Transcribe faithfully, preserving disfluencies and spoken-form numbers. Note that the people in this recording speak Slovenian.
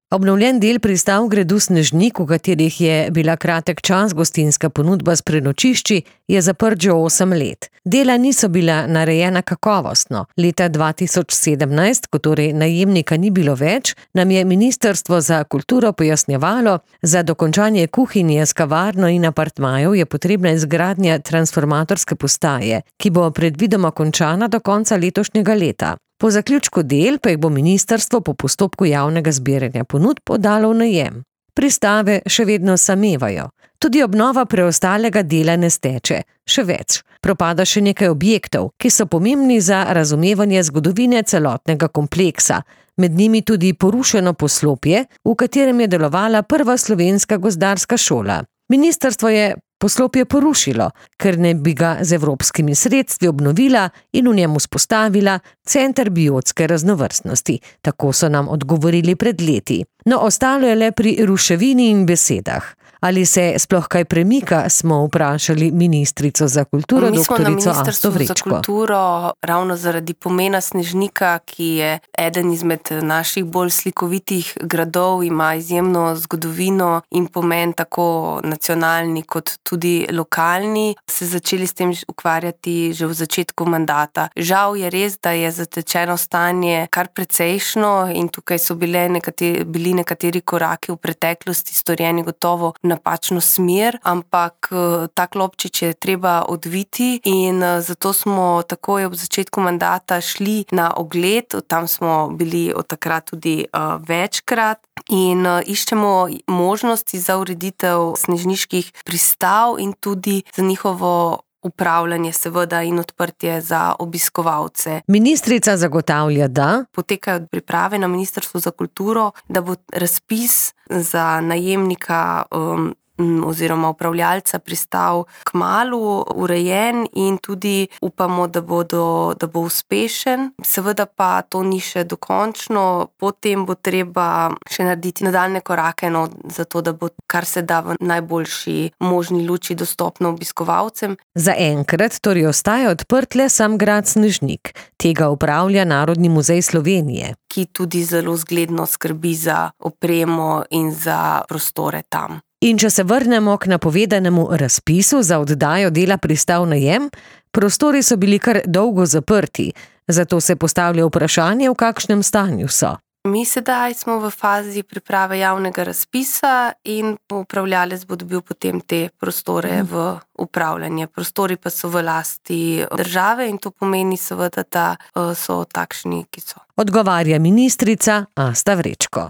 Obnovljen del pristav gradu Snežnik, v katerih je bila kratek čas gostinska ponudba s prenočišči, je zaprt že osem let. Dela niso bila narejena kakovostno. Leta dva tisoč sedemnajst, ko torej najemnika ni bilo več, nam je Ministrstvo za kulturo pojasnjevalo, za dokončanje kuhinje s kavarno in apartmajev je potrebna izgradnja transformatorske postaje, ki bo predvidoma končana do konca letošnjega leta. Po zaključku del pa jih bo ministrstvo po postopku javnega zbiranja ponudb podalo v najem. Pristave še vedno samevajo. Tudi obnova preostalega dela ne steče. Še več, propada še nekaj objektov, ki so pomembni za razumevanje zgodovine celotnega kompleksa. Med njimi tudi porušeno poslopje, v katerem je delovala prva slovenska gozdarska šola. Ministrstvo je poslopje porušilo, ker ne bi ga z evropskimi sredstvi obnovila in v njem vzpostavila center biotske raznovrstnosti. Tako so nam odgovorili pred leti. No, ostalo je le pri ruševini in besedah. Ali se sploh kaj premika, smo vprašali ministrico za kulturo, doktorico Asto Vrečko. Mi smo na Ministrstvu za kulturo ravno zaradi pomena Snežnika, ki je eden izmed naših bolj slikovitih gradov, ima izjemno zgodovino in pomen tako nacionalni kot tudi lokalni, se začeli s tem ukvarjati že v začetku mandata. Žal je res, da je zatečeno stanje kar precejšno in tukaj so bile nekateri, bili nekateri koraki v preteklosti storjeni gotovo napačno smer, ampak ta klopčič je treba odviti in zato smo takoj ob začetku mandata šli na ogled, tam smo bili od takrat tudi uh, večkrat in uh, iščemo možnosti za ureditev snežniških pristav in tudi za njihovo upravljanje seveda in odprtje za obiskovalce. Ministrica zagotavlja, da potekajo priprave na Ministrstvu za kulturo, da bo razpis za najemnika um, oziroma upravljalca pristav kmalu urejen in tudi upamo, da, bodo, da bo uspešen. Seveda pa to ni še dokončno, potem bo treba še narediti nadaljne korake, no, zato da bo kar se da v najboljši možni luči dostopno obiskovalcem. Za enkrat torej ostaja odprt le sam grad Snežnik. Tega upravlja Narodni muzej Slovenije, ki tudi zelo zgledno skrbi za opremo in za prostore tam. In če se vrnemo k napovedanemu razpisu za oddajo dela pristav najem, prostori so bili kar dolgo zaprti, zato se postavlja vprašanje, v kakšnem stanju so. Mi sedaj smo v fazi priprave javnega razpisa in upravljalec bo dobil potem te prostore v upravljanje. Prostori pa so v lasti države in to pomeni seveda, da so takšni, ki so. Odgovarja ministrica Asta Vrečko.